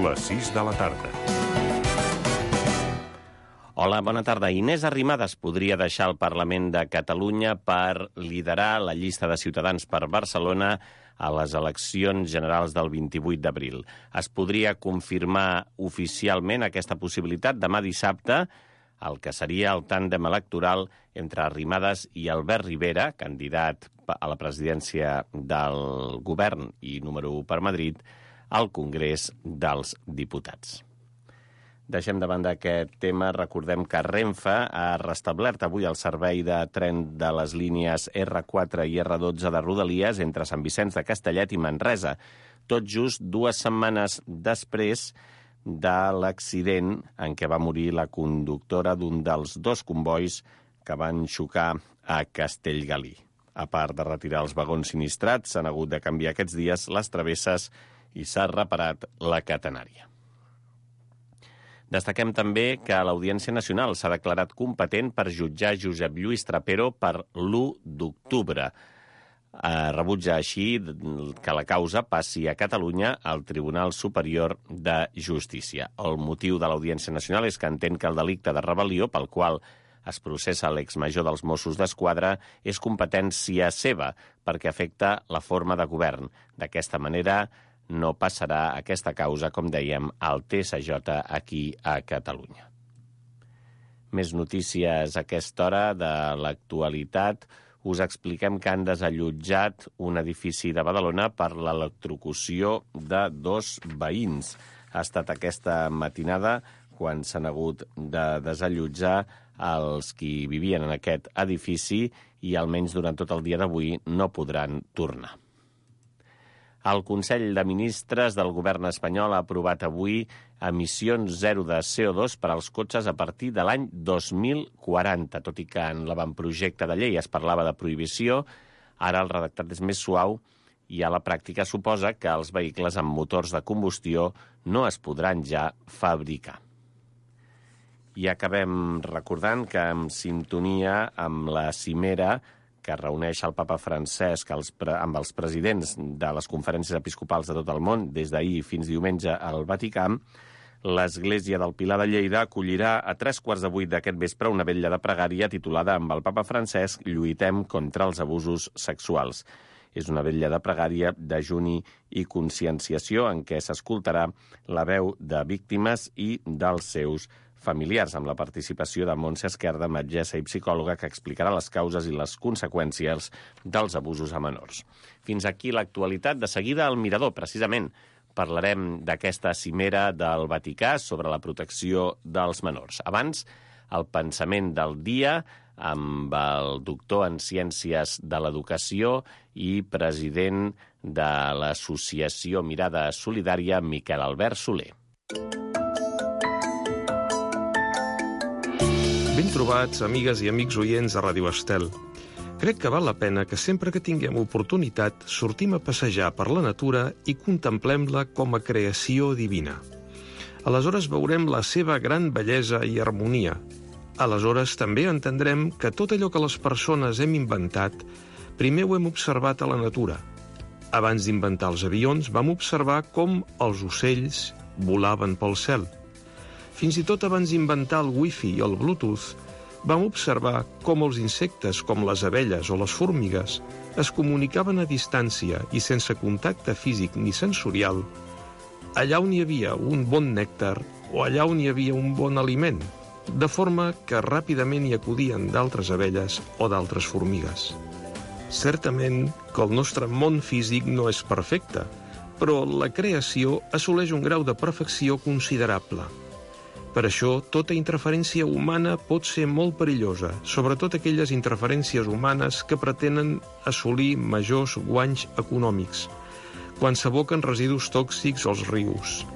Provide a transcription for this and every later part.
Les 6 de la tarda. Hola, bona tarda. Inés Arrimadas podria deixar el Parlament de Catalunya per liderar la llista de Ciutadans per Barcelona a les eleccions generals del 28 d'abril. Es podria confirmar oficialment aquesta possibilitat demà dissabte, el que seria el tàndem electoral entre Arrimadas i Albert Rivera, candidat a la presidència del govern i número 1 per Madrid, al Congrés dels Diputats. Deixem de banda aquest tema. Recordem que Renfe ha restablert avui el servei de tren de les línies R4 i R12 de Rodalies entre Sant Vicenç de Castellet i Manresa, tot just 2 setmanes després de l'accident en què va morir la conductora d'un dels 2 combois que van xocar a Castellgalí. A part de retirar els vagons sinistrats, s'han hagut de canviar aquests dies les travesses i s'ha reparat la catenària. Destaquem també que l'Audiència Nacional s'ha declarat competent per jutjar Josep Lluís Trapero per l'1 d'octubre. Rebutja així que la causa passi a Catalunya al Tribunal Superior de Justícia. El motiu de l'Audiència Nacional és que entén que el delicte de rebel·lió pel qual es processa l'exmajor dels Mossos d'Esquadra és competència seva perquè afecta la forma de govern. D'aquesta manera no passarà aquesta causa, com dèiem, al TSJ aquí a Catalunya. Més notícies a aquesta hora de l'actualitat. Us expliquem que han desallotjat un edifici de Badalona per l'electrocució de 2 veïns. Ha estat aquesta matinada quan s'han hagut de desallotjar els qui vivien en aquest edifici i almenys durant tot el dia d'avui no podran tornar. El Consell de Ministres del govern espanyol ha aprovat avui emissions zero de CO2 per als cotxes a partir de l'any 2040. Tot i que en l'avantprojecte de llei es parlava de prohibició, ara el redactat és més suau i a la pràctica suposa que els vehicles amb motors de combustió no es podran ja fabricar. I acabem recordant que en sintonia amb la cimera que reuneix el papa Francesc amb els presidents de les conferències episcopals de tot el món des d'ahir fins diumenge al Vaticà, l'Església del Pilar de Lleida acollirà a 7:45 d'aquest vespre una vetlla de pregària titulada amb el papa Francesc «Lluitem contra els abusos sexuals». És una vetlla de pregària, dejuni i conscienciació en què s'escoltarà la veu de víctimes i dels seus familiars, amb la participació de Montse Esquerda, metgessa i psicòloga, que explicarà les causes i les conseqüències dels abusos a menors. Fins aquí l'actualitat. De seguida, al Mirador, precisament, parlarem d'aquesta cimera del Vaticà sobre la protecció dels menors. Abans, el pensament del dia amb el doctor en Ciències de l'Educació i president de l'associació Mirada Solidària, Miquel Albert Soler. Ben trobats, amigues i amics oients de Ràdio Estel. Crec que val la pena que sempre que tinguem oportunitat sortim a passejar per la natura i contemplem-la com a creació divina. Aleshores veurem la seva gran bellesa i harmonia. Aleshores també entendrem que tot allò que les persones hem inventat, primer ho hem observat a la natura. Abans d'inventar els avions, vam observar com els ocells volaven pel cel. Fins i tot abans d'inventar el Wi-Fi i el Bluetooth, vam observar com els insectes, com les abelles o les formigues, es comunicaven a distància i sense contacte físic ni sensorial, allà on hi havia un bon nèctar o allà on hi havia un bon aliment, de forma que ràpidament hi acudien d'altres abelles o d'altres formigues. Certament que el nostre món físic no és perfecte, però la creació assoleix un grau de perfecció considerable. Per això, tota interferència humana pot ser molt perillosa, sobretot aquelles interferències humanes que pretenen assolir majors guanys econòmics, quan s'aboquen residus tòxics als rius,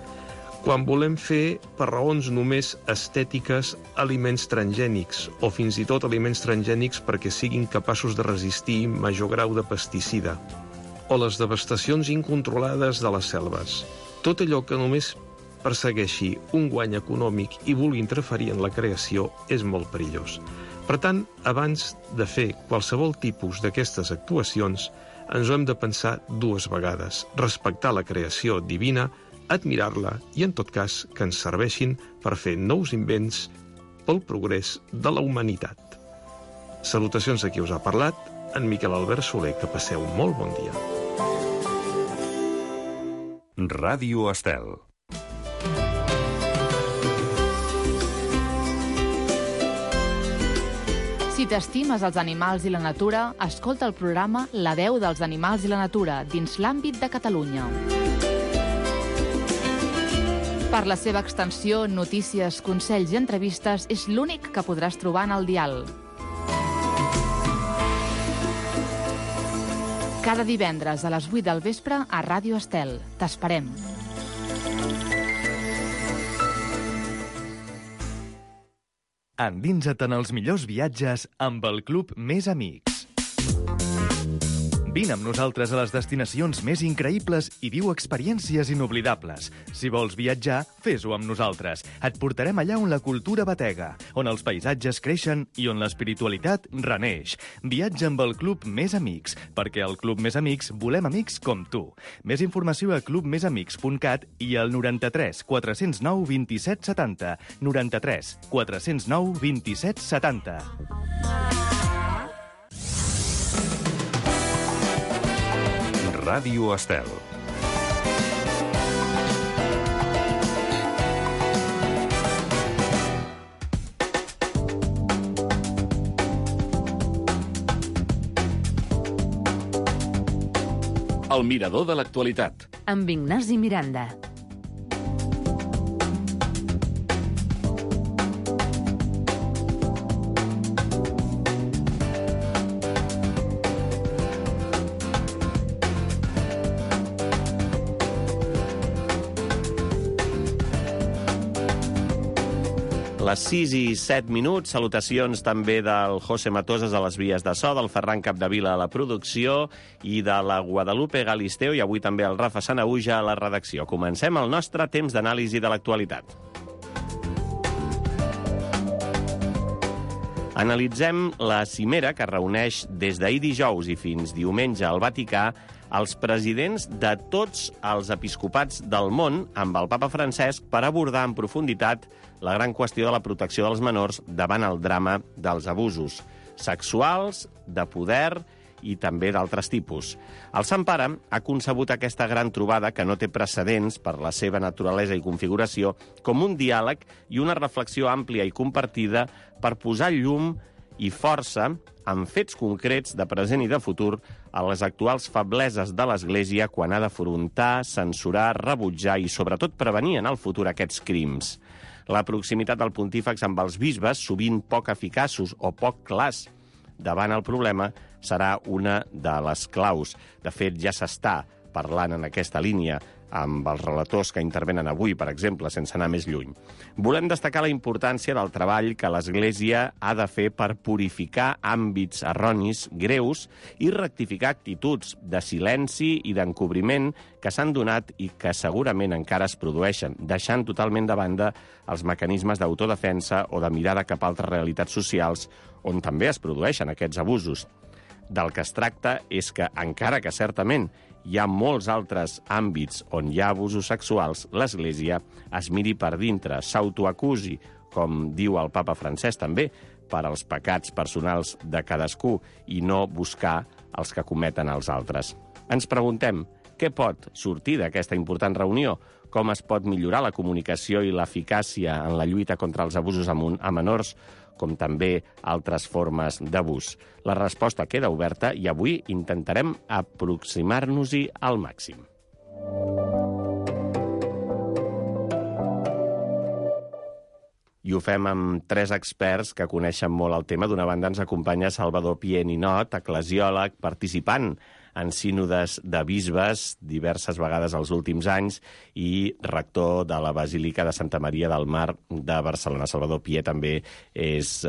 quan volem fer, per raons només estètiques, aliments transgènics, o fins i tot aliments transgènics perquè siguin capaços de resistir major grau de pesticida, o les devastacions incontrolades de les selves. Tot allò que només persegueixi un guany econòmic i vulgui interferir en la creació és molt perillós. Per tant, abans de fer qualsevol tipus d'aquestes actuacions, ens ho hem de pensar 2 vegades. Respectar la creació divina admirar-la i, en tot cas, que ens serveixin per fer nous invents pel progrés de la humanitat. Salutacions a qui us ha parlat, en Miquel Albert Soler, que passeu un molt bon dia. Ràdio Estel. Si t'estimes els animals i la natura, escolta el programa La veu dels animals i la natura dins l'àmbit de Catalunya. Per la seva extensió, notícies, consells i entrevistes, és l'únic que podràs trobar en el dial. Cada divendres a les 8 del vespre a Ràdio Estel. T'esperem. Endinsa't en els millors viatges amb el Club Més Amics. Vine amb nosaltres a les destinacions més increïbles i viu experiències inoblidables. Si vols viatjar, fes-ho amb nosaltres. Et portarem allà on la cultura batega, on els paisatges creixen i on l'espiritualitat reneix. Viatja amb el Club Més Amics, perquè al Club Més Amics volem amics com tu. Més informació a clubmesamics.cat i al 93 409 27 70. 93 409 27 70. Ràdio Estel. El mirador de l'actualitat. Amb Ignasi Miranda. Les 6 i 7 minuts, salutacions també del José Matosas a les vies de so, del Ferran Capdevila a la producció i de la Guadalupe Galisteo i avui també el Rafa Sanahuja a la redacció. Comencem el nostre temps d'anàlisi de l'actualitat. Analitzem la cimera que reuneix des d'ahir dijous i fins diumenge al Vaticà els presidents de tots els episcopats del món amb el papa Francesc per abordar en profunditat la gran qüestió de la protecció dels menors davant el drama dels abusos sexuals, de poder i també d'altres tipus. El Sant Pare ha concebut aquesta gran trobada, que no té precedents per la seva naturalesa i configuració, com un diàleg i una reflexió àmplia i compartida per posar llum i força amb fets concrets de present i de futur a les actuals febleses de l'Església quan ha d'afrontar, censurar, rebutjar i, sobretot, prevenir en el futur aquests crims. La proximitat del pontífex amb els bisbes, sovint poc eficaços o poc clars davant el problema, serà una de les claus. De fet, ja s'està parlant en aquesta línia amb els relators que intervenen avui, per exemple, sense anar més lluny. Volem destacar la importància del treball que l'Església ha de fer per purificar àmbits erronis greus i rectificar actituds de silenci i d'encobriment que s'han donat i que segurament encara es produeixen, deixant totalment de banda els mecanismes d'autodefensa o de mirada cap a altres realitats socials on també es produeixen aquests abusos. Del que es tracta és que, encara que certament hi ha molts altres àmbits on hi ha abusos sexuals, l'Església es miri per dintre, s'autoacusi, com diu el papa Francesc també, per als pecats personals de cadascú i no buscar els que cometen els altres. Ens preguntem, què pot sortir d'aquesta important reunió? Com es pot millorar la comunicació i l'eficàcia en la lluita contra els abusos a menors, com també altres formes d'abús? La resposta queda oberta i avui intentarem aproximar-nos-hi al màxim. I ho fem amb 3 experts que coneixen molt el tema. D'una banda ens acompanya Salvador Pié Ninot, eclesiòleg, participant en sínodes de bisbes diverses vegades els últims anys i rector de la Basílica de Santa Maria del Mar de Barcelona. Salvador Pié també és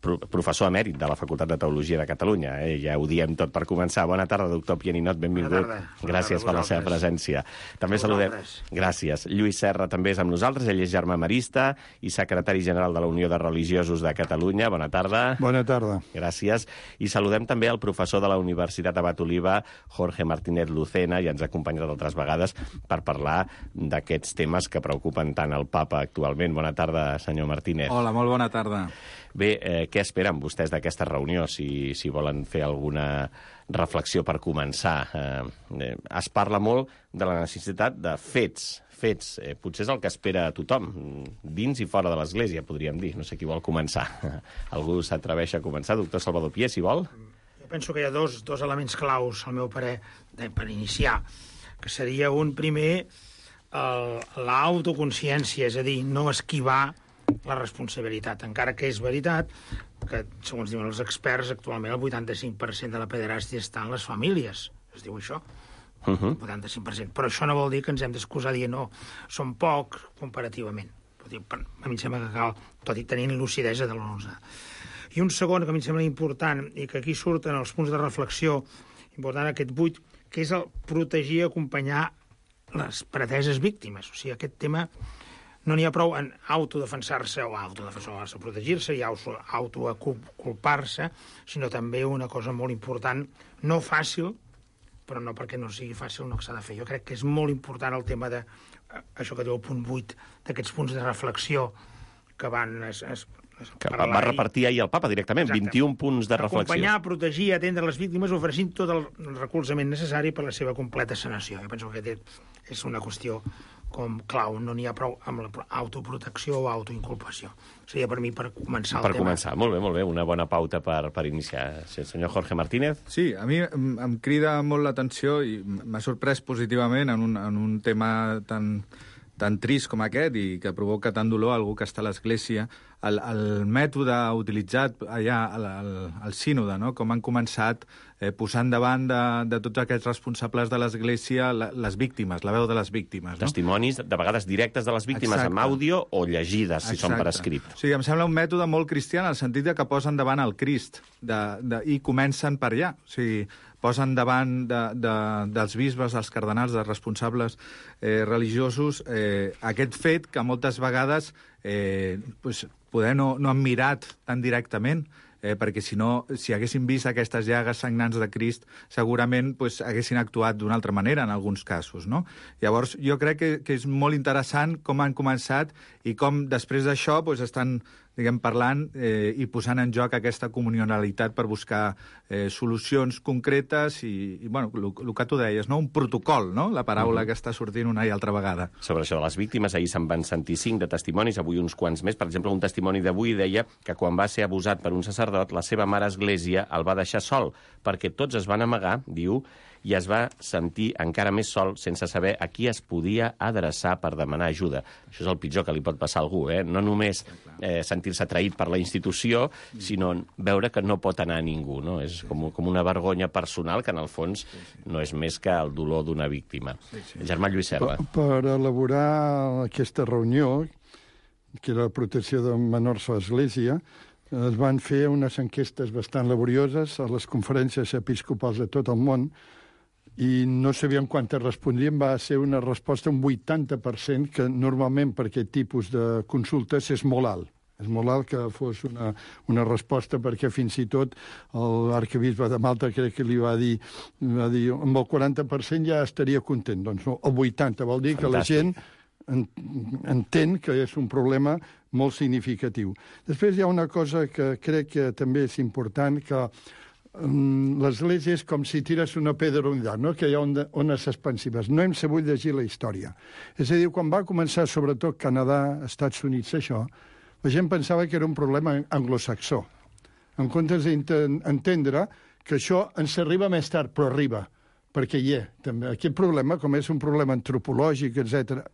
professor emèrit de la Facultat de Teologia de Catalunya. Ja ho diem tot per començar. Bona tarda, doctor Pianinot, benvingut. Gràcies per la seva presència. També saludem... Gràcies. Lluís Serra també és amb nosaltres, ell és germà marista i secretari general de la Unió de Religiosos de Catalunya. Bona tarda. Bona tarda. Gràcies. I saludem també el professor de la Universitat Abat Oliva, Jorge Martínez Lucena, i ens ha acompanyat altres vegades per parlar d'aquests temes que preocupen tant el papa actualment. Bona tarda, senyor Martínez. Hola, molt bona tarda. Bé, què esperen vostès d'aquesta reunió, si volen fer alguna reflexió per començar? Es parla molt de la necessitat de fets. Potser és el que espera tothom, dins i fora de l'Església, podríem dir. No sé qui vol començar. Algú s'atreveix a començar? Doctor Salvador Pié, si vol. Jo penso que hi ha dos elements claus, al meu parer, per iniciar, que seria un primer, l'autoconsciència, és a dir, no esquivar la responsabilitat, encara que és veritat que, segons diuen els experts, actualment el 85% de la pederàstia està en les famílies. Es diu això? 85%. Però això no vol dir que ens hem d'excusar dient no, són pocs comparativament. A mi em sembla que cal, tot i tenint lucidesa de l'11. I un segon que a mi em sembla important, i que aquí surten els punts de reflexió, important aquest 8, que és el protegir i acompanyar les preteses víctimes. O sigui, aquest tema no n'hi ha prou en autodefensar-se o protegir-se i autoculpar-se, sinó també una cosa molt important, no fàcil, però no perquè no sigui fàcil no s'ha de fer. Jo crec que és molt important el tema de això que diu el punt 8, d'aquests punts de reflexió que van... Que va repartir ahir el papa directament, exacte. 21 punts de reflexió. Acompanyar, protegir, atendre les víctimes, oferint tot el recolzament necessari per a la seva completa sanació. Jo penso que és una qüestió com clau, no n'hi ha prou amb l'autoprotecció o autoinculpació. Seria per mi per començar el tema. Per començar, molt bé, una bona pauta per iniciar. Senyor Jorge Martínez? Sí, a mi em crida molt l'atenció i m'ha sorprès positivament en un tema tan trist com aquest i que provoca tant dolor a algú que està a l'Església, el mètode utilitzat allà al sínode, no? Com han començat posant davant de tots aquests responsables de l'Església les víctimes, la veu de les víctimes. No? Testimonis, de vegades directes de les víctimes, amb àudio o llegides, si són per escrit. Sí, em sembla un mètode molt cristià en el sentit que posen davant el Crist i comencen per allà. O sigui, posen davant dels bisbes, dels cardenals, dels responsables religiosos, aquest fet que moltes vegades poder no han mirat tan directament, perquè si haguessin vist aquestes llagues sagnants de Crist, segurament haguessin actuat d'una altra manera en alguns casos, no? Llavors, jo crec que és molt interessant com han començat i com després d'això estan parlant i posant en joc aquesta comunionalitat per buscar solucions concretes i el que tu deies, no? Un protocol, no? La paraula que està sortint una i altra vegada. Sobre això de les víctimes, ahir se'n van sentir 5 de testimonis, avui uns quants més. Per exemple, un testimoni d'avui deia que quan va ser abusat per un sacerdot, la seva mare església el va deixar sol, perquè tots es van amagar, diu, i es va sentir encara més sol sense saber a qui es podia adreçar per demanar ajuda. Això és el pitjor que li pot passar a algú, no només sentir-se traït per la institució, sinó veure que no pot anar a ningú, no? És com una vergonya personal que, en el fons, no és més que el dolor d'una víctima. Germà Lluís Serra. Per elaborar aquesta reunió, que era la protecció de menors a l'Església, es van fer unes enquestes bastant laborioses a les conferències episcopals de tot el món, i no sabíem quantes respondien, va ser una resposta un 80%, que normalment per aquest tipus de consultes és molt alt. És molt alt que fos una resposta, perquè fins i tot l'arquebisbe de Malta crec que li va dir amb el 40% ja estaria content. Doncs no, el 80% vol dir que la gent entén que és un problema molt significatiu. Després hi ha una cosa que crec que també és important, que l'Església és com si tires una pedra a un llac, no? Que hi ha ones expansives. No hem sabut llegir la història. És a dir, quan va començar, sobretot Canadà, Estats Units, això, la gent pensava que era un problema anglosaxó. En comptes d'entendre que això ens arriba més tard, però arriba, perquè hi ha també aquest problema, com és un problema antropològic, etc.,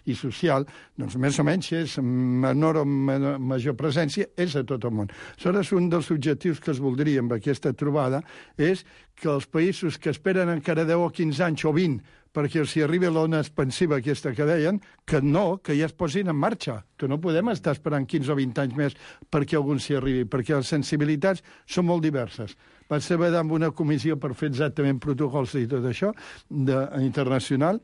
i social, més o menys és menor o major presència, és a tot el món. Aleshores, un dels objectius que es voldria amb aquesta trobada és que els països que esperen encara 10 o 15 anys o 20 perquè si arriba l'ona expansiva aquesta que deien, que ja es posin en marxa, que no podem estar esperant 15 o 20 anys més perquè algun s'hi arribi, perquè les sensibilitats són molt diverses. Vaig treballar amb una comissió per fer exactament protocols i tot això, internacional,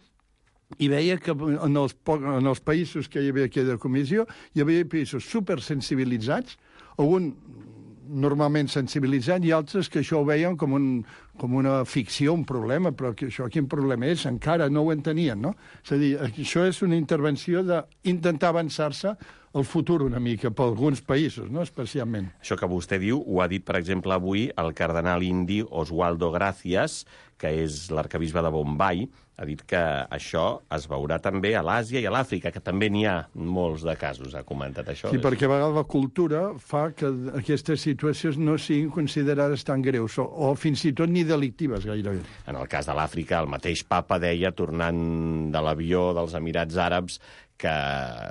i veia que en els països que hi havia aquella comissió hi havia països supersensibilitzats, algun normalment sensibilitzat, i altres que això ho veien com una ficció, un problema, però que això quin problema és? Encara no ho entenien, no? És a dir, això és una intervenció d'intentar avançar-se el futur una mica, per alguns països, no? Especialment. Això que vostè diu ho ha dit, per exemple, avui el cardenal indi Oswaldo Gracias, que és l'arcabisbe de Bombay, ha dit que això es veurà també a l'Àsia i a l'Àfrica, que també n'hi ha molts de casos, ha comentat això. Sí, perquè a vegades la cultura fa que aquestes situacions no siguin considerades tan greus, o fins i tot ni delictives gairebé. En el cas de l'Àfrica, el mateix papa deia, tornant de l'avió dels Emirats Àrabs, que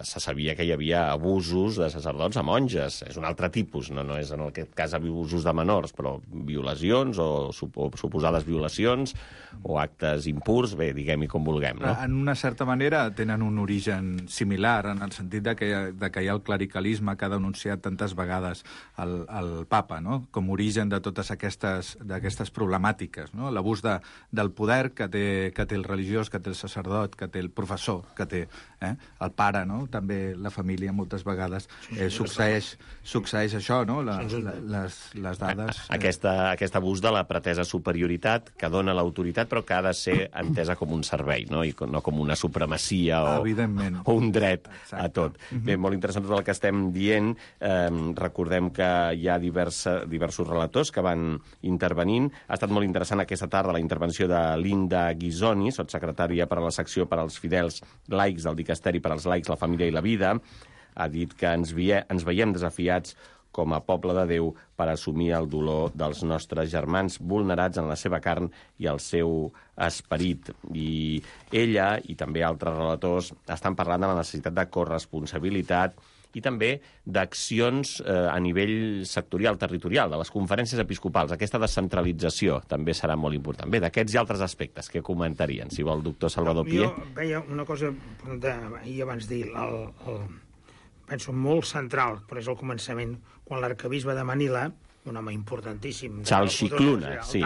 se sabia que hi havia abusos de sacerdots a monges. És un altre tipus, no és en aquest cas abusos de menors, però violacions o suposades violacions o actes impurs, bé, diguem-hi com vulguem, no? En una certa manera tenen un origen similar, en el sentit de que hi ha el clericalisme que ha denunciat tantes vegades el papa, no? Com origen de totes aquestes problemàtiques, no? L'abús del poder que té el religiós, que té el sacerdot, que té el professor, que té el pare, no? També la família moltes vegades succeeix això, no? Les dades... Aquest abús de la pretesa superioritat que dona l'autoritat però que ha de ser entesa com un servei, no? I no com una supremacia o un dret a tot. Bé, molt interessant tot el que estem dient. Recordem que hi ha diversos relators que van intervenint. Ha estat molt interessant aquesta tarda la intervenció de Linda Ghisoni, sotssecretària per a la secció per als fidels laics del Dicasteri per als laics, la família i la vida. Ha dit que ens veiem desafiats com a poble de Déu per assumir el dolor dels nostres germans vulnerats en la seva carn i el seu esperit. I ella i també altres relators estan parlant de la necessitat de corresponsabilitat i també d'accions a nivell sectorial, territorial, de les conferències episcopals. Aquesta descentralització també serà molt important. Bé, d'aquests i altres aspectes, què comentarien? Si vol, doctor Salvador Pié. Jo veia una cosa, ahir abans dir, penso molt central, però és el començament, quan l'arcabisbe de Manila, un home importantíssim, Charles Scicluna, sí.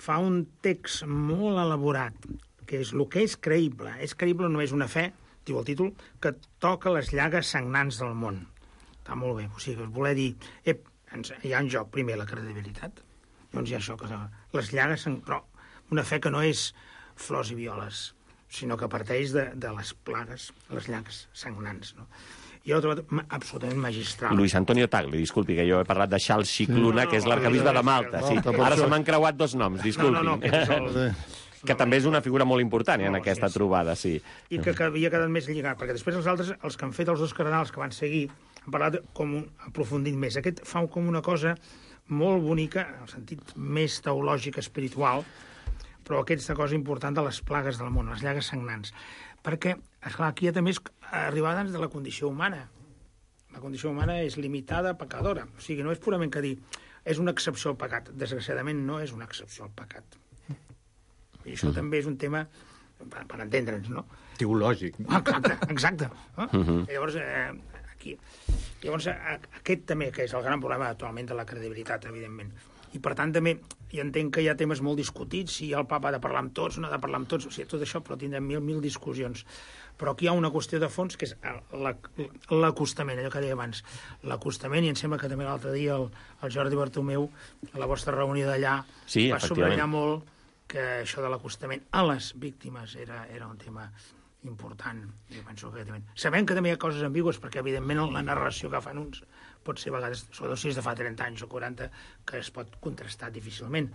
Fa un text molt elaborat, que és el que és creïble. És creïble només una fe, diu el títol, que toca les llagues sagnants del món. Està molt bé. O sigui, voler dir, hi ha en joc primer la credibilitat, llavors hi ha això, que les llagues, però una fe que no és flors i violes, sinó que parteix de les plagues, les llagues sagnants, no? I ho he trobat absolutament magistral. Luis Antonio Tagle, disculpi, que jo he parlat de Charles Scicluna, que és l'arcabisbe de Malta. Sí. Ara se m'han creuat dos noms, disculpi. Que també és una figura molt important en aquesta trobada, sí. I que havia quedat més lligat, perquè després els altres, els que han fet els dos cardenals que van seguir, han parlat com aprofundit més. Aquest fa com una cosa molt bonica, en el sentit més teològic, espiritual, però aquesta cosa important de les plagues del món, les llagues sagnants. Perquè, esclar, aquí també és arribar de la condició humana. La condició humana és limitada, pecadora. O sigui, no és purament que dir, és una excepció al pecat. Desgraciadament no és una excepció al pecat. I això també és un tema, per entendre'ns, no? Teològic. Exacte. Llavors, aquest també, que és el gran problema actualment de la credibilitat, evidentment. I, per tant, també jo entenc que hi ha temes molt discutits, si el papa ha de parlar amb tots, no ha de parlar amb tots, o sigui, tot això, però tindrem mil discussions. Però aquí hi ha una qüestió de fons, que és l'acostament, allò que deia abans. L'acostament, i em sembla que també l'altre dia el Jordi Bartomeu, a la vostra reunió d'allà, va subratllar molt que això de l'acostament a les víctimes era un tema important. Jo penso que sabem que també hi ha coses ambigües, perquè, evidentment, la narració que fan uns pot ser a vegades, sobretot si és de fa 30 anys o 40, que es pot contrastar difícilment.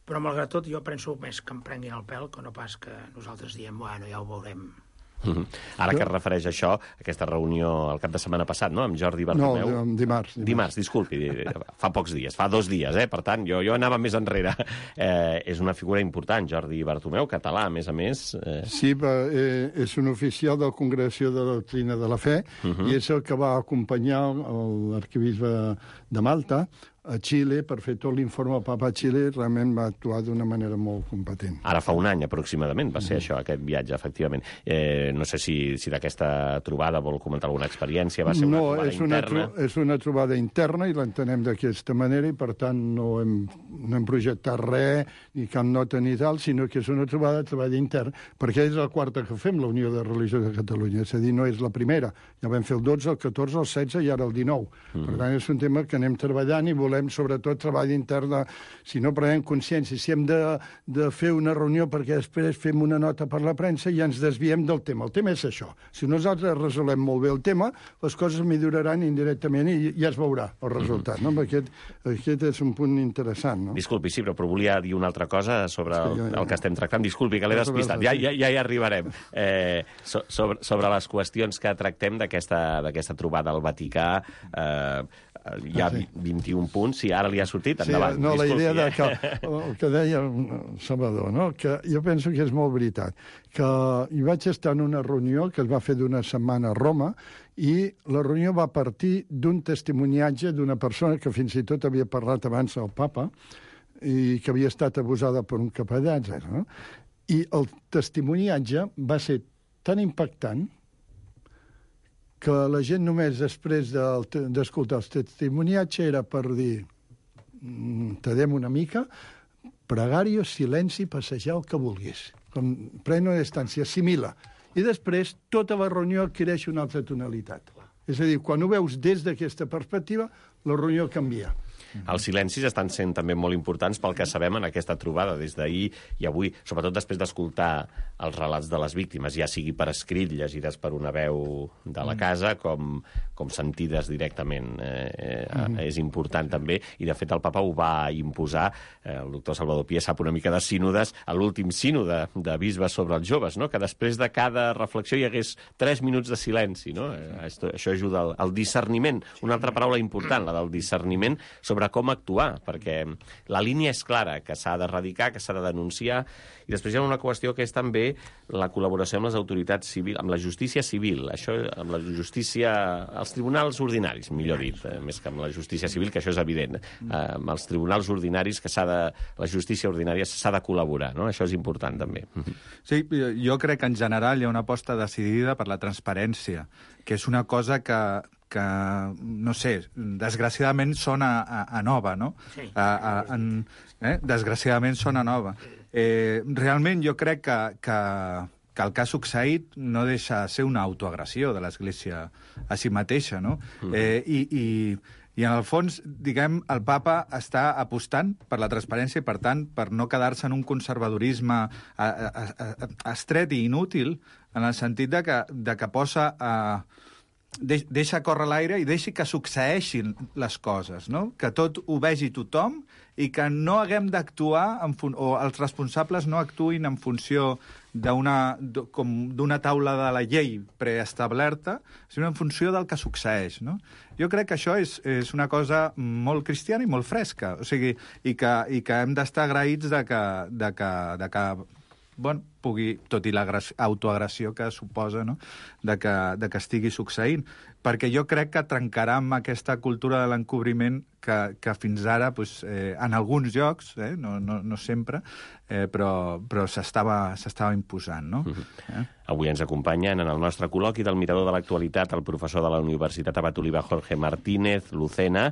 Però, malgrat tot, jo penso més que em prenguin el pèl que no pas que nosaltres diem, bueno, ja ho veurem. Ara que es refereix a això, aquesta reunió el cap de setmana passat, no?, amb Jordi Bartomeu. No, dimarts. Dimarts, disculpi, fa pocs dies, fa 2 dies, per tant, jo anava més enrere. És una figura important, Jordi Bartomeu, català, a més. Sí, és un oficial de la Congregació de la Doctrina de la Fe, i és el que va acompanyar l'arquebisbe de Malta a Xile per fer tot l'informe al Papa a Xile, realment va actuar d'una manera molt competent. Ara fa un any, aproximadament, va ser això, aquest viatge, efectivament. No sé si d'aquesta trobada vol comentar alguna experiència, va ser una trobada interna? No, és una trobada interna i l'entenem d'aquesta manera i, per tant, no hem projectat res, ni cap nota ni tal, sinó que és una trobada interna, perquè és la quarta que fem, la Unió de Religió de Catalunya, és a dir, no és la primera. Ja vam fer el 12, el 14, el 16 i ara el 19. Per tant, és un tema que anem treballant i volem sobretot treball intern. Si no prenem consciència, si hem de fer una reunió perquè després fem una nota per la premsa i ja ens desviem del tema. El tema és això. Si nosaltres resolem molt bé el tema, les coses milloraran indirectament i ja es veurà el resultat. No? Aquest és un punt interessant. No? Disculpi, sí, però volia dir una altra cosa sobre el que estem tractant. Disculpi, que l'he despistat. Ja hi arribarem. Sobre les qüestions que tractem d'aquesta trobada al Vaticà, hi ha 21 punts, si ara li ha sortit, endavant. Sí, no, la idea el que deia Salvador, no? Que jo penso que és molt veritat, que hi vaig estar en una reunió que es va fer d'una setmana a Roma i la reunió va partir d'un testimoniatge d'una persona que fins i tot havia parlat abans al Papa i que havia estat abusada per un capellà, etc. No? I el testimoniatge va ser tan impactant que la gent només després d'escoltar el testimoniatge era per dir tardem una mica, pregàrio, silenci, passejar el que vulguis. Pren una distància, assimila. I després tota la reunió adquireix una altra tonalitat. És a dir, quan ho veus des d'aquesta perspectiva, la reunió canvia. Els silencis estan sent també molt importants pel que sabem en aquesta trobada des d'ahir i avui, sobretot després d'escoltar els relats de les víctimes, ja sigui per escrit, llegides per una veu de la casa, com sentides directament. És important també, i de fet el Papa ho va imposar, el doctor Salvador Pié sap una mica de sínodes, a l'últim sínode de bisbes sobre els joves, no? Que després de cada reflexió hi hagués 3 minuts de silenci. No? Això ajuda al discerniment. Una altra paraula important, la del discerniment, sobre com actuar, perquè la línia és clara, que s'ha d'erradicar, que s'ha de denunciar, i després hi ha una qüestió que és també la col·laboració amb les autoritats civils, amb la justícia civil, això, amb la justícia, els tribunals ordinaris, millor dit, més que amb la justícia civil, que això és evident, amb els tribunals ordinaris, que la justícia ordinària s'ha de col·laborar, no? Això és important també. Sí, jo crec que en general hi ha una aposta decidida per la transparència, que és una cosa que no sé, desgraciadament sona a nova, no? Sí. Desgraciadament sona nova. Realment jo crec que el que ha succeït no deixa de ser una autoagressió de l'Església a si mateixa, no? I en el fons, diguem, el Papa està apostant per la transparència i, per tant, per no quedar-se en un conservadorisme estret i inútil, en el sentit de que posa deixa córrer l'aire i deixi que succeeixin les coses, no? Que tot ho vegi tothom i que no haguem d'actuar, o els responsables no actuïn en funció d'una taula de la llei preestablerta, sinó en funció del que succeeix, no? Jo crec que això és una cosa molt cristiana i molt fresca, o sigui, i que hem d'estar agraïts de que pugui, tot i l'autoagressió que suposa, no? de que estigui succeint. Perquè jo crec que trencarà amb aquesta cultura de l'encobriment que fins ara, en alguns llocs, no sempre, però s'estava imposant. No? Avui ens acompanyen en el nostre col·loqui del Mirador de l'Actualitat el professor de la Universitat Abat Oliba, Jorge Martínez Lucena,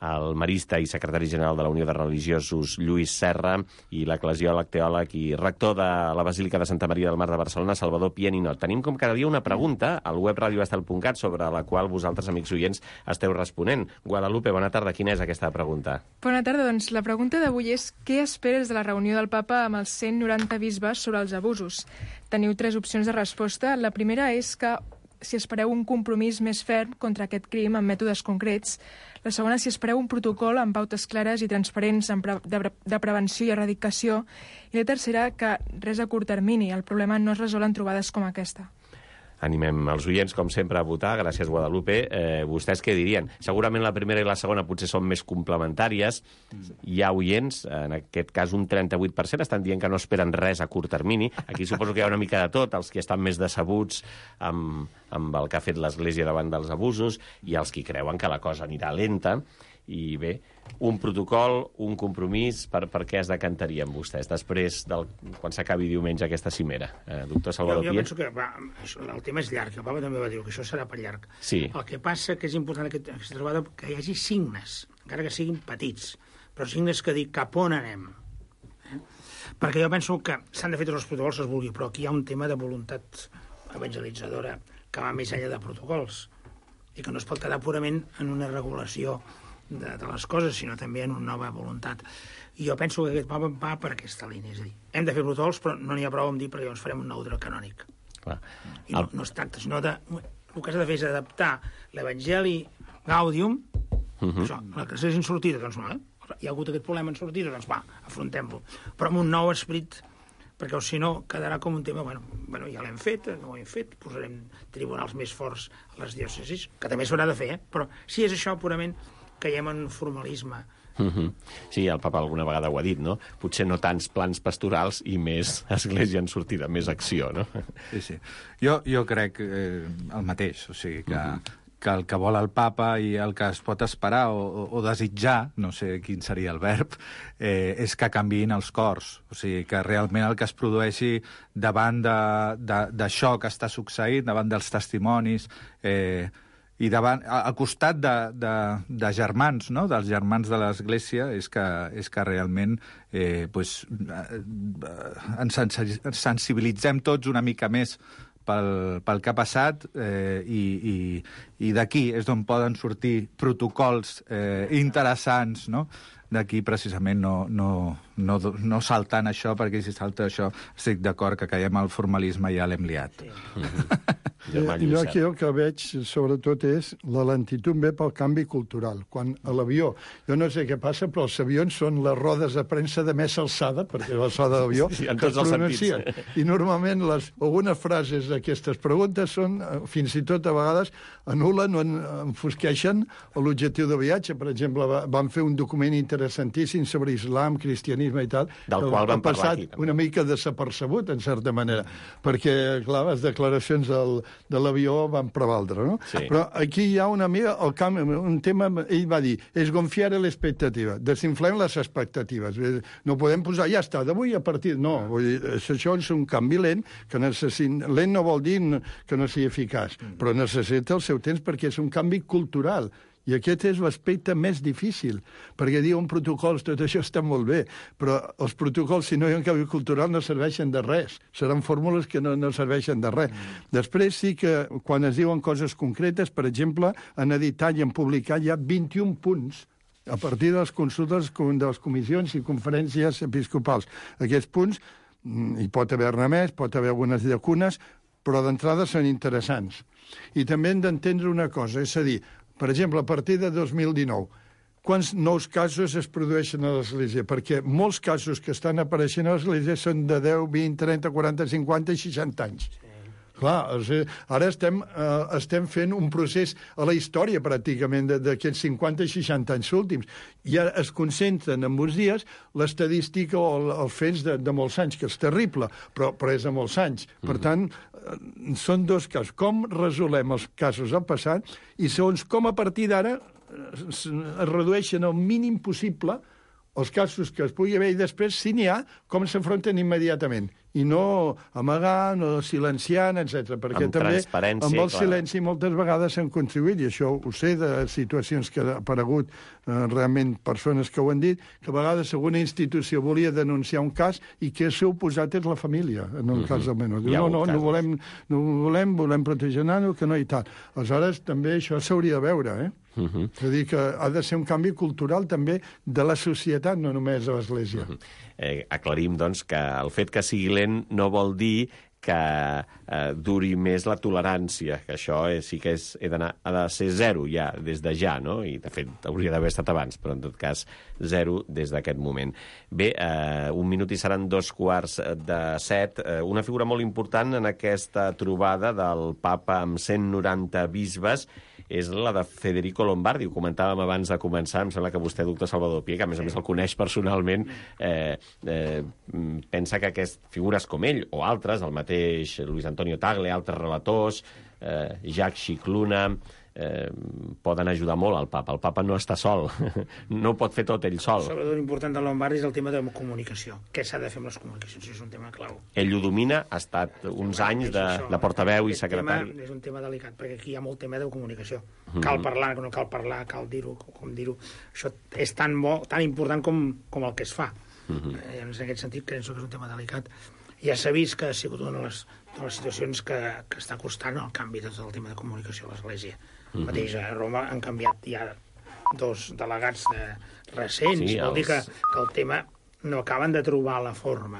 el marista i secretari general de la Unió de Religiosos, Lluís Serra, i l'eclesiòleg, teòleg i rector de la Basílica de Santa Maria del Mar de Barcelona, Salvador Pié Ninot. Tenim com cada dia una pregunta al web radioestel.cat sobre la qual vosaltres, amics oients, esteu responent. Guadalupe, bona tarda. Quina és aquesta pregunta? Bona tarda. Doncs la pregunta d'avui és què esperes de la reunió del Papa amb els 190 bisbes sobre els abusos? Teniu 3 opcions de resposta. La primera és que si espereu un compromís més ferm contra aquest crim amb mètodes concrets. La segona, si espereu un protocol amb pautes clares i transparents de prevenció i erradicació. I la tercera, que res a curt termini. El problema no es resol en trobades com aquesta. Animem els oients, com sempre, a votar. Gràcies, Guadalupe. Vostès què dirien? Segurament la primera i la segona potser són més complementàries. Hi ha oients, en aquest cas un 38%, estan dient que no esperen res a curt termini. Aquí suposo que hi ha una mica de tot, els que estan més decebuts amb el que ha fet l'Església davant dels abusos i els que creuen que la cosa anirà lenta. I bé, un protocol, un compromís, per què es decantarien vostès després quan s'acabi diumenge aquesta cimera? Doctor Salvador Pié? Jo penso que el tema és llarg, el papa també va dir que això serà per llarg. Sí. El que passa que és important aquesta trobada que hi hagi signes, encara que siguin petits, però signes que dic cap on anem. Perquè jo penso que s'han de fer tots els protocols que es vulgui, però aquí hi ha un tema de voluntat evangelitzadora que va més enllà de protocols i que no es pot quedar purament en una regulació de les coses, sinó també en una nova voluntat. I jo penso que aquest papa va per aquesta línia, és a dir, hem de fer protocols, però no n'hi ha prou amb dir perquè llavors farem un nou dret canònic. Clar. I no es tracta, sinó de... El que has de fer és adaptar l'Evangeli Gaudium, això, la que s'hagin sortida, doncs no, hi ha hagut aquest problema en sortida, doncs va, afrontem-lo. Però amb un nou esperit, perquè si no quedarà com un tema, bueno, ja l'hem fet, no ho hem fet, posarem tribunals més forts a les diòcesis, que també s'haurà de fer, però si és això purament caiem en formalisme. Sí, el papa alguna vegada ho ha dit, no? Potser no tants plans pastorals i més església en sortida, més acció, no? Sí. Jo crec el mateix, o sigui que el que vol el papa i el que es pot esperar o desitjar, no sé quin seria el verb, és que canviïn els cors. O sigui, que realment el que es produeixi davant d'això que està succeint, davant dels testimonis, i al costat de germans, no? Dels germans de l'Església, és que realment ens sensibilitzem tots una mica més pel que ha passat i d'aquí és d'on poden sortir protocols interessants, no? D'aquí precisament no saltant això, perquè si salta això estic d'acord que caiem al formalisme i ja l'hem liat. Jo aquí el que veig, sobretot, és la lentitud ve pel canvi cultural. Quan a l'avió, jo no sé què passa, però els avions són les rodes de premsa de més alçada, perquè la so de l'avió, sí, en tots els sentits. I normalment algunes frases d'aquestes preguntes són, fins i tot a vegades, anul·len o enfosqueixen l'objectiu de viatge. Per exemple, van fer un document interessantíssim sobre islam, cristianisme i tal, del qual vam parlar aquí. Una mica desapercebut, en certa manera, perquè, clar, les declaracions de l'avió van prevaldre, no? Sí. Però aquí hi ha una mica un tema, ell va dir, és gonfiar l'expectativa, desinflem les expectatives. No podem posar, ja està, d'avui a partir... No, vull dir, això és un canvi lent, que lent no vol dir que no sigui eficaç, però necessita el seu temps perquè és un canvi cultural. I aquest és l'aspecte més difícil, perquè diuen protocols, tot això està molt bé, però els protocols, si no hi ha un canvi cultural, no serveixen de res. Seran fórmules que no serveixen de res. Després sí que, quan es diuen coses concretes, per exemple, en editat i en publicat hi ha 21 punts a partir de les consultes de les comissions i conferències episcopals. Aquests punts, hi pot haver-ne més, pot haver algunes llacunes, però d'entrada són interessants. I també hem d'entendre una cosa, és a dir, per exemple, a partir de 2019, quants nous casos es produeixen a l'Església? Perquè molts casos que estan apareixent a l'Església són de 10, 20, 30, 40, 50 i 60 anys. Clar, ara estem fent un procés a la història, pràcticament, d'aquests 50 i 60 anys últims. I ara es concentren en uns dies l'estadística o els fets de molts anys, que és terrible, però és de molts anys. Per tant, són dos casos. Com resolem els casos del passat i segons com a partir d'ara es redueixen al mínim possible els casos que es pugui haver i després, si n'hi ha, com s'afronten immediatament. I no amagant o silenciant, etc. Perquè amb també amb el clar. silenci moltes vegades s'han contribuït, i això ho sé de situacions que ha aparegut realment persones que ho han dit, que a vegades alguna institució volia denunciar un cas i que el seu oposat és la família, en el cas del menor. Diu, no volem protegir el nano, que no i tal. Aleshores, també això s'hauria de veure, És a dir, que ha de ser un canvi cultural també de la societat, no només de l'Església. Aclarim, doncs, que el fet que sigui lent no vol dir que duri més la tolerància, que això sí que ha de ser zero ja, des de ja, no? I, de fet, hauria d'haver estat abans, però, en tot cas, zero des d'aquest moment. Bé, un minut i seran 6:45. Una figura molt important en aquesta trobada del papa amb 190 bisbes és la de Federico Lombardi. Ho comentàvem abans de començar, em sembla que vostè, doctor Salvador Pié, que a més el coneix personalment, pensa que aquestes figures com ell, o altres, el mateix Luis Antonio Tagle, altres relators, Jacques Scicluna, poden ajudar molt al papa. El papa no està sol, no ho pot fer tot ell sol. Sobretot l'important de Lombardi és el tema de la comunicació. Què s'ha de fer amb les comunicacions? És un tema clau. Ell ho domina, ha estat uns anys de portaveu i secretari. És un tema delicat, perquè aquí hi ha molt tema de comunicació. Cal parlar, no cal parlar, cal dir-ho, com dir-ho. Això és tan bo, tan important com el que es fa. En aquest sentit, penso que és un tema delicat. Ja s'ha vist que ha sigut una de les situacions que està costant el canvi de tot el tema de comunicació a l'Església. Mateix a Roma han canviat ja 2 delegats recents. Sí, vol dir que el tema no acaben de trobar la forma.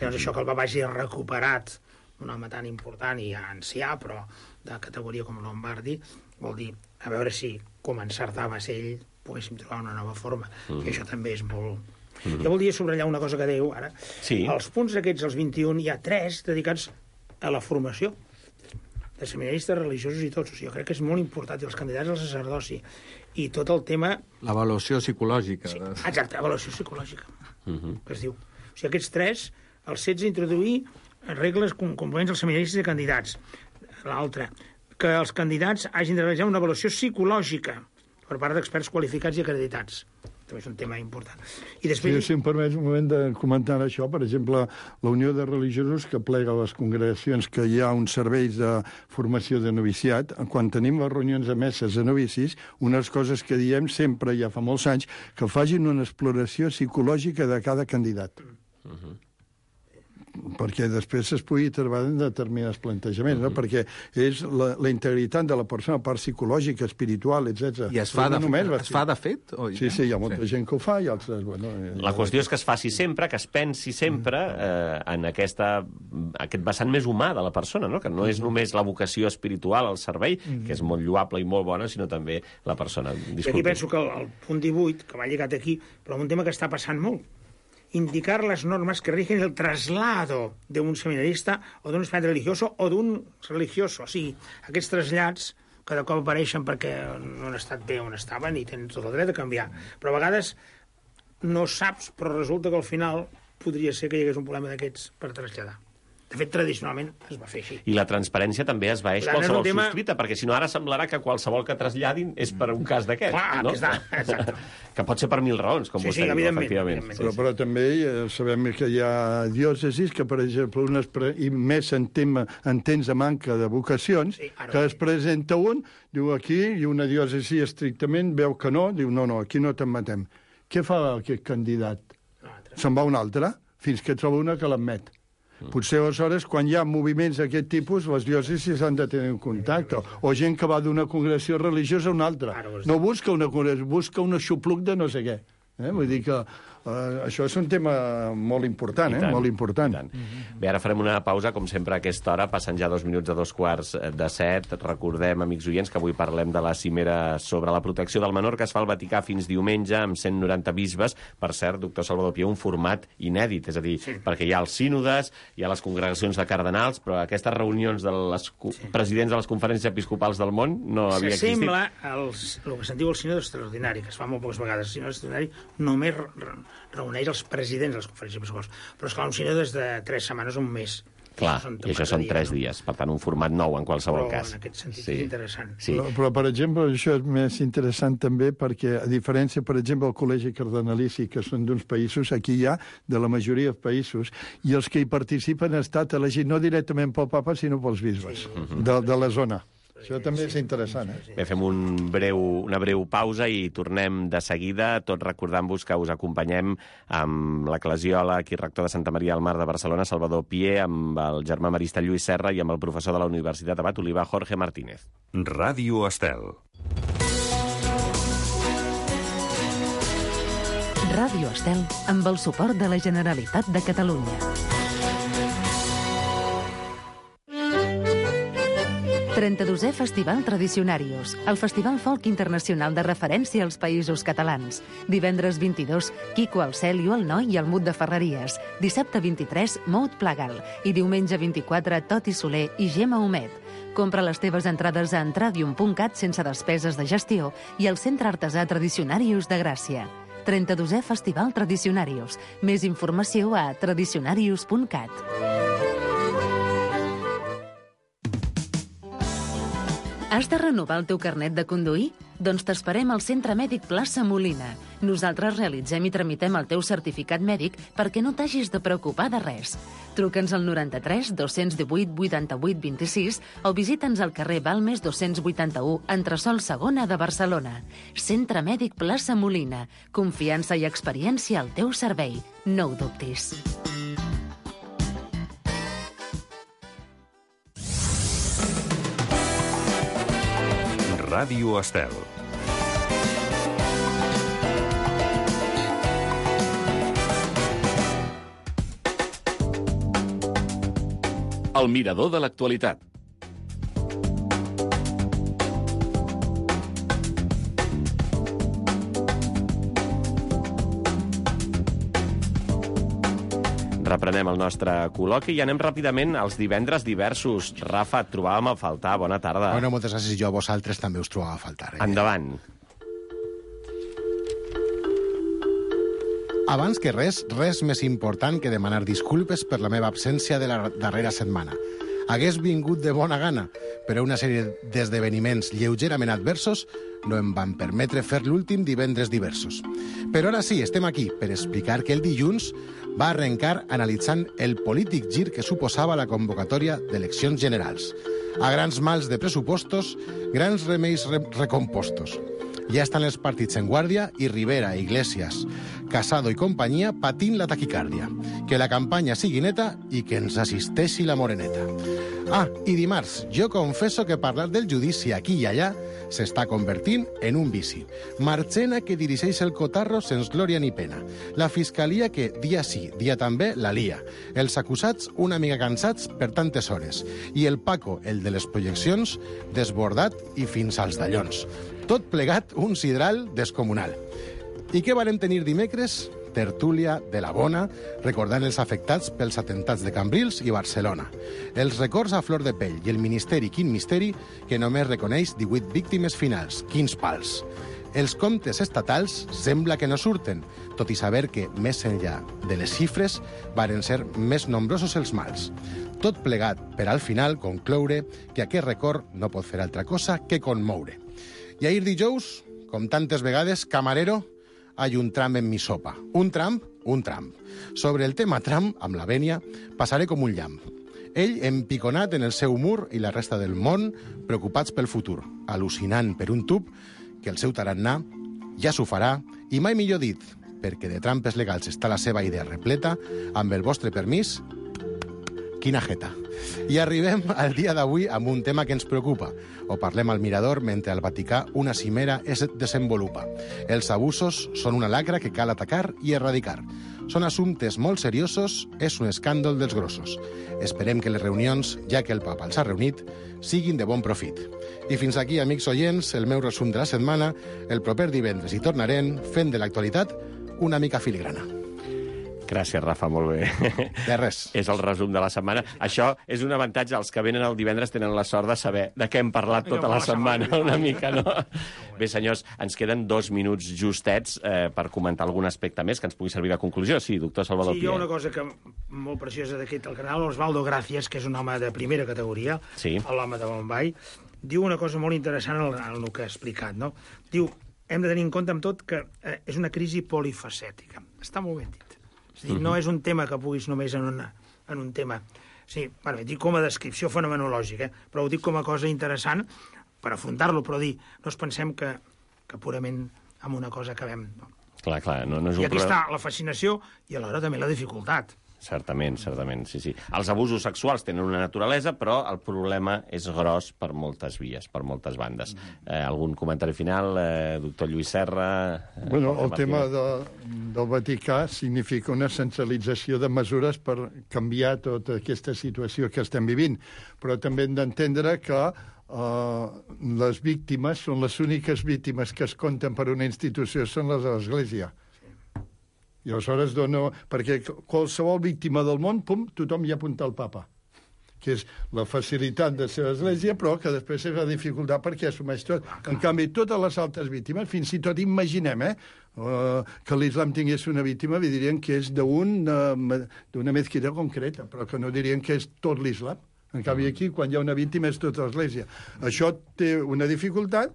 Llavors això que el papa hagi recuperat un home tan important i ancià, però de categoria com Lombardi, vol dir, a veure si com encertava a ser ell poguéssim trobar una nova forma. I això també és molt... Jo voldria subratllar una cosa que dèieu ara. Sí. Els punts aquests, els 21, hi ha 3 dedicats a la formació de seminaristes religiosos i tots. O sigui, jo crec que és molt important, i els candidats al sacerdoci, i tot el tema... L'avaluació psicològica. Sí, exacte, avaluació psicològica, que es diu. O sigui, aquests 3, els 16 introduir regles complements als seminaristes i candidats. L'altre, que els candidats hagin de realitzar una avaluació psicològica per part d'experts qualificats i acreditats. També és un tema important. I després... Sí, si em permets un moment de comentar això, per exemple, la Unió de Religiosos que plega les congregacions que hi ha uns serveis de formació de noviciat, quan tenim les reunions de messes de novicis, unes coses que diem sempre, ja fa molts anys, que facin una exploració psicològica de cada candidat. Perquè després es pugui trobar en determinats plantejaments, no? Perquè és la integritat de la persona, part psicològica, espiritual, etc. I es fa de fet? Sí, hi ha molta gent que ho fa i altres... Bueno, la qüestió és que es faci sempre, que es pensi sempre en aquest vessant més humà de la persona, no? Que no és només la vocació espiritual al servei, que és molt lloable i molt bona, sinó també la persona. I aquí penso que el punt 18, que va lligat aquí, però un tema que està passant molt, indicar las normas que rigen el traslado de un seminarista o d'un aspirante religioso o d'un religioso. O sigui, aquests trasllats cada cop apareixen perquè no han estat bé on estaven i tenen tot el dret a canviar. Però a vegades no saps, però resulta que al final podria ser que hi hagués un problema d'aquests per traslladar. De fet, tradicionalment es va fer així. I la transparència també es vaeix qualsevol subscrita, perquè si no ara semblarà que qualsevol que traslladin és per un cas d'aquest. Clar, no? Exacte. Que pot ser per 1000 raons, com vostè diu, efectivament. Però també sabem que hi ha diòcesis que, per exemple, i més en temps de manca de vocacions, que es presenta un, diu aquí, i una diòcesi estrictament veu que no, diu no, aquí no te'n matem. Què fa aquest candidat? Se'n va un altre, fins que troba una que l'admet. Potser, aleshores, quan hi ha moviments d'aquest tipus, les diòcesis han de tenir un contacte. O gent que va d'una congregació religiosa a una altra. No busca una congregació, busca un aixopluc de no sé què. Vull dir que això és un tema molt important, molt important. Bé, ara farem una pausa, com sempre, a aquesta hora, passant ja 2 minuts a 2:45. Recordem, amics oients, que avui parlem de la cimera sobre la protecció del menor que es fa al Vaticà fins diumenge amb 190 bisbes. Per cert, doctor Salvador Pié, un format inèdit, és a dir, perquè hi ha els sínodes, hi ha les congregacions de cardenals, però aquestes reunions dels presidents de les conferències episcopals del món no havia existit. S'assembla el que se'n diu el sínode extraordinari, que es fa molt poques vegades. El sínode extraordinari només reuneix els presidents de les conferències episcopals. Però, esclar, un sínode és de 3 setmanes o un mes. Clar, i això són 3 dies. Per tant, un format nou en qualsevol cas. Però en aquest sentit és interessant. Però, per exemple, això és més interessant també perquè, a diferència, per exemple, del Col·legi Cardenalici, que són d'uns països, aquí hi ha de la majoria de països, i els que hi participen han estat elegits no directament pel papa, sinó pels bisbes de la zona. Això també és interessant, Bé, fem una breu pausa i tornem de seguida, tot recordant-vos que us acompanyem amb l'eclesiòleg i rector de Santa Maria del Mar de Barcelona, Salvador Pié, amb el germà marista Lluís Serra i amb el professor de la Universitat Abat Oliva, Jorge Martínez. Ràdio Estel. Ràdio Estel, amb el suport de la Generalitat de Catalunya. 32è Festival Tradicionarius, el festival folk internacional de referència als països catalans. Divendres 22, Quico al Cel i el Noi i el Mut de Ferreries. Dissabte 23, Mout Plagal. I diumenge 24, Toti Soler i Gemma Homet. Compra les teves entrades a entradium.cat sense despeses de gestió i al Centre Artesà Tradicionarius de Gràcia. 32è Festival Tradicionarius. Més informació a tradicionarius.cat. Has de renovar el teu carnet de conduir? Doncs t'esperem al Centre Mèdic Plaça Molina. Nosaltres realitzem i tramitem el teu certificat mèdic perquè no t'hagis de preocupar de res. Truca'ns al 93 218 88 26 o visita'ns al carrer Balmes 281, entresòl segona de Barcelona. Centre Mèdic Plaça Molina. Confiança i experiència al teu servei. No ho dubtis. Ràdio Estel. El mirador de l'actualitat. Reprenem el nostre col·loqui i anem ràpidament als divendres diversos. Rafa, et trobàvem a faltar. Bona tarda. Bueno, moltes gràcies. Jo a vosaltres també us trobava a faltar. Endavant. Abans que res més important que demanar disculpes per la meva absència de la darrera setmana. Hagués vingut de bona gana, però una sèrie d'esdeveniments lleugerament adversos no em van permetre fer l'últim divendres diversos. Però ara sí, estem aquí per explicar que el dilluns va arrencar analitzant el polític gir que suposava la convocatòria d'eleccions generals. A grans mals de pressupostos, grans remeis recompostos. Ja estan els partits en guàrdia i Rivera, Iglesias, Casado i companyia patint la taquicàrdia. Que la campanya sigui neta i que ens assisteixi la moreneta. Ah, i dimarts, jo confesso que parlar del judici aquí i allà s'està convertint en un vici. Marchena que dirigeix el cotarro sense glòria ni pena. La fiscalia que, dia sí, dia també, la lia. Els acusats una mica cansats per tantes hores. I el Paco, el de les projeccions, desbordat i fins als dallons. Tot plegat un sidral descomunal. I què varem tenir dimecres? Tertúlia de la bona, recordant els afectats pels atemptats de Cambrils i Barcelona. Els records a flor de pell i el ministeri, quin misteri, que només reconeix 18 víctimes finals. Quins pals! Els comptes estatals sembla que no surten, tot i saber que, més enllà de les xifres, varen ser més nombrosos els mals. Tot plegat per al final concloure que aquest record no pot fer altra cosa que conmoure. I ahir dijous, com tantes vegades, camarero, hay un tram en mi sopa. Un tram, un tram. Sobre el tema tram, amb la vènia, passaré com un llamp. Ell empiconat en el seu mur i la resta del món preocupats pel futur, al·lucinant per un tub que el seu tarannà ja s'ho farà i mai millor dit, perquè de trampes legals està la seva idea repleta, amb el vostre permís, quina jeta. I arribem al dia d'avui amb un tema que ens preocupa. O parlem al mirador mentre al Vaticà una cimera es desenvolupa. Els abusos són una lacra que cal atacar i erradicar. Són assumptes molt seriosos, és un escàndol dels grossos. Esperem que les reunions, ja que el papa els ha reunit, siguin de bon profit. I fins aquí, amics oients, el meu resum de la setmana. El proper divendres hi tornarem fent de l'actualitat una mica filigrana. Gràcies, Rafa, molt bé. De res. És el resum de la setmana. Això és un avantatge. Els que venen el divendres tenen la sort de saber de què hem parlat tota la setmana, una mica, no? Bé, senyors, ens queden 2 minuts justets per comentar algun aspecte més que ens pugui servir de conclusió. Sí, doctor Salvador Pié. Sí, hi ha una cosa que molt preciosa d'aquest al canal, Osvaldo Gracias, que és un home de primera categoria, sí, l'home de Bombay, diu una cosa molt interessant en el que ha explicat, no? Diu, hem de tenir en compte amb tot que és una crisi polifacètica. Està molt ben dit. És dir, no és un tema que puguis només en un tema. Sí, bueno, dic com a descripció fenomenològica, però ho dic com a cosa interessant per afrontar-lo, però dir, no ens pensem que purament amb una cosa acabem. No? Clar, no és un I aquí està la fascinació i alhora també la dificultat. Certament, sí. Els abusos sexuals tenen una naturalesa, però el problema és gros per moltes vies, per moltes bandes. Algun comentari final, doctor Lluís Serra? Bueno, el tema del Vaticà significa una centralització de mesures per canviar tota aquesta situació que estem vivint, però també hem d'entendre que les víctimes són les úniques víctimes que es compten per una institució, són les de l'Església. I aleshores perquè qualsevol víctima del món, pum, tothom hi apunta el papa, que és la facilitat de ser església, però que després és la dificultat perquè assumeix tot. En canvi, totes les altres víctimes, fins i tot imaginem, que l'islam tingués una víctima, dirien que és d'una mesquita concreta, però que no dirien que és tot l'islam. En canvi, aquí, quan hi ha una víctima, és tota l'Església. Això té una dificultat,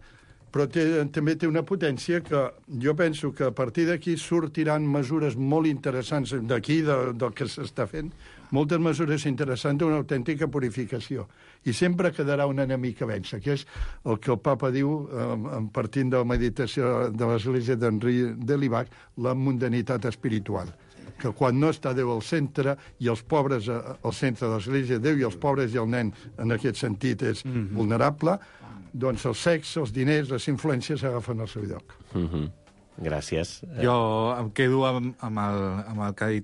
però també té una potència que jo penso que a partir d'aquí sortiran mesures molt interessants d'aquí, del que s'està fent, moltes mesures interessants d'una autèntica purificació. I sempre quedarà un enemic que vèncer, que és el que el papa diu, partint de la meditació de l'Església d'Henri de Libac, la mundanitat espiritual. Que quan no està Déu al centre i els pobres al centre de l'Església, Déu i els pobres i el nen en aquest sentit és vulnerable, doncs el sexe, els diners, les influències agafen el seu lloc. Gràcies. Jo em quedo amb el que ha dit